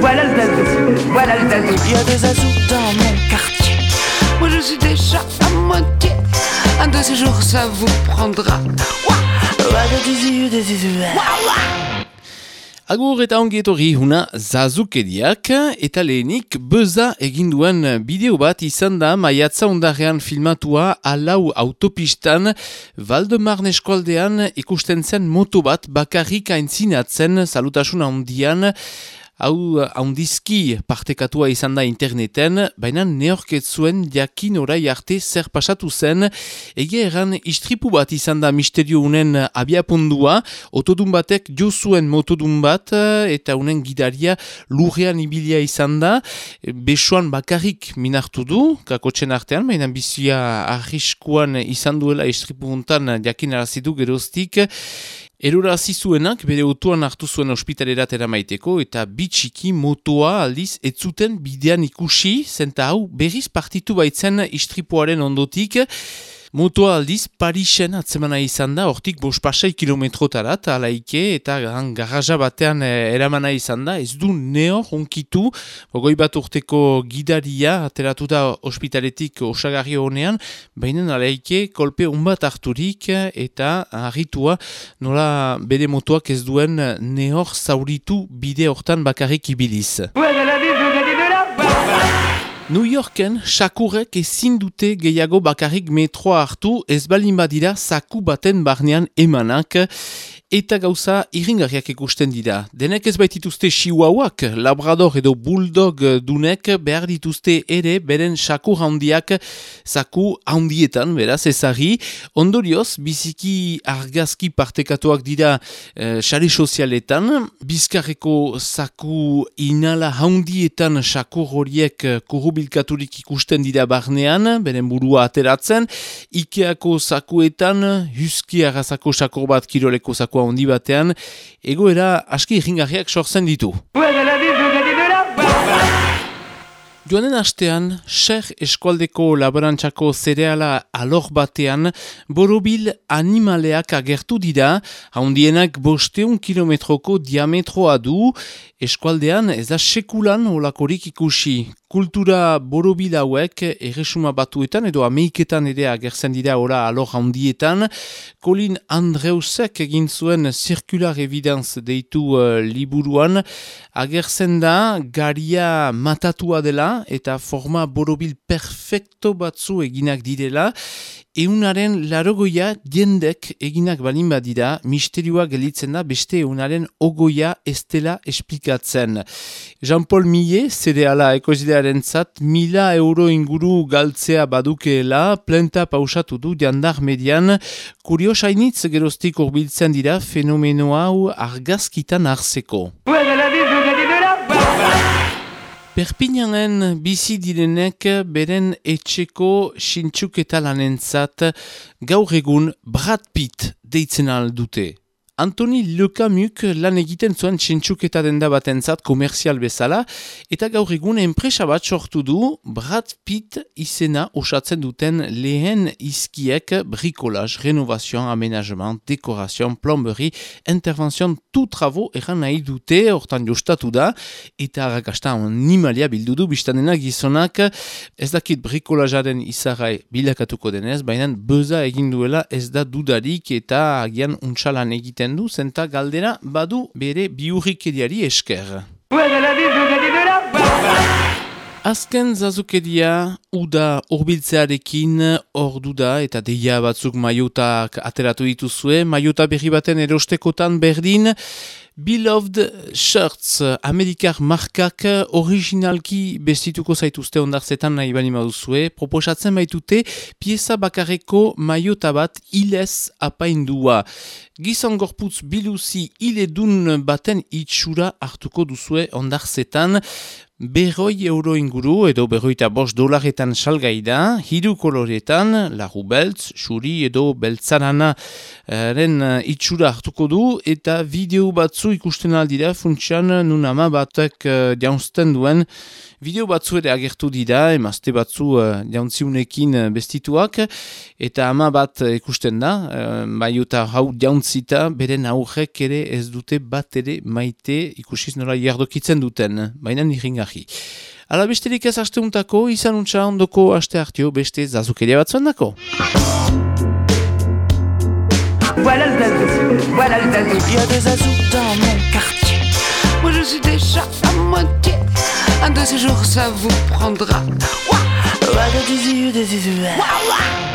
Voilà le zazou, voilà le zazou. Il y a des zazous dans mon quartier. Moi je suis déjà à moitié. Un de ces jours ça vous prendra. Agur eta ongi etorri huna zazukeriak eta lehenik beza egin duen bideo bat izan da maiatza ondarrean filmatua Alau autopistan Valdemarne eskualdean ikusten zen moto bat bakarrik aintzinatzen salutasun handian. Hau handizki partekatua izan da interneten, baina neorket zuen jakin orai arte zer pasatu zen, egia erran istripu bat izan da misterio unen abiapundua, otodun batek jo zuen motodun bat, eta unen gidaria lurrean ibilia izan da, besoan bakarrik minartu du, kakotxen artean, baina bizia arriskuan izan duela istripu untan jakin arazidu geroztik. Erorarazi zuenak bere autoan hartu zuen ospitalerat eramaiteko eta bitxiki motoa aldiz ez zuten bidean ikusi, zenta hau berriz partitu baitzen istripuaren ondotik. Motoa aldiz Parisen atzemana izan da, hortik 5 kilometrotarat alaike eta garaja batean eramana izan da, ez du nehor onkitu, goi bat urteko gidaria ateratu da ospitaletik osagarri honean, baina alaike kolpe onbat harturik eta harritua nola bere motoak ez duen nehor zauritu bide hortan bakarrik ibiliz. New Yorken sakurrek ezin dute gehiago bakarrik metroa hartu ez balin badira zaku baten barnean emanak eta gauza irringarriak ikusten dira. Denek ez baitituzte chihuahuak, labrador edo bulldog dunek behar dituzte ere beren sakur handiak zaku handietan, beraz ezari. Ondorioz, biziki argazki partekatuak dira sare sozialetan, bizkarreko zaku inala handietan sakur horiek kurubilkaturik ikusten dira barnean, beren burua ateratzen, Ikeako zakuetan, Husky arrazako sakur bat kiroleko zaku handi batean, egoera aski irringarriak sortzen ditu. Joanen astean, Ser eskualdeko laborantzako zereala alor batean, borobil animaleak agertu dira, handienak 500 kilometroko diametroa du, eskualdean ez da sekulan olakorik ikusi. Kultura borobil hauek erresuma batuetan edo Ameiketan ere agertzen dira ora alor handietan. Colin Andreusek egin zuen Circular Evidence deitu liburuan, agertzen da garia matatua dela eta forma borobil perfecto batzu eginak direla, eunaren 80 jendek eginak balin badira, misterioa gelitzen da beste eunaren 20 ez dela esplikatzen. Jean-Paul Millet, zereala ekozidearen zat, 1.000 euro inguru galtzea badukeela, plenta pausatu du jandar median, kuriosainitz geroztik urbiltzen dira fenomeno hau argazkitan hartzeko. Perpignanen bizi direnek beren etxeko sintxuketa lanentzat gaur egun Brad Pitt deitzen aldute. Anthony Lecamuk lan egiten zuen sintxuketa denda batentzat komerzial bezala eta gaur egun enpresa bat sortu du Brad Pitt izena osatzen duten lehen izkiek bricolage, renovation, aménagement, dekoration, plomberie, intervention, tout travaux erran nahi dute, hortan jostatu da, eta arrakasta animalia bildu du biztanena gizonak, ez dakit bricolagearen izarrai bilakatuko denez, baina beza egin duela ez da dudarik eta agian untxalan egiten du, zenta galdera badu bere biurrikeriari esker. Azken zazukeria uda urbiltzearekin ordu da eta deia batzuk maiotak ateratu dituzue, maiota berri baten erostekotan berdin, Beloved Shirts, Amerikar markak originalki bestituko zaituzte ondartzetan nahi bani maduzue, proposatzen baitute pieza bakarreko maiota bat hilez apaindua. Gizon gorputz biluzi hiledun baten itxura hartuko duzue ondartzetan, 100 euro inguru edo $105 salgai da, 3 koloretan, larru beltz, xuri edo beltzarana itxura hartuko du, eta bideo batzu ikusten aldira, funtsian nun ama batek jaunzten duen, bideo batzu ere agertu dira, emazte batzu jauntziunekin bestituak, eta ama bat ikusten da, bai eta hau jauntzi utzita, beren aurrek ere ez dute bat ere maite ikusiz nola jardokitzen duten, baina niringarri. Ala besterik ez asteuntako, izan untxa ondoko aste hartio beste zazukeria batzuen dako. Voilà le zazou, voilà le zazou. Il y a des zazous dans mon quartier. Moi je suis déjà à moitié. Un de ces jours ça vous prendra. Ouah, ouah, ouah.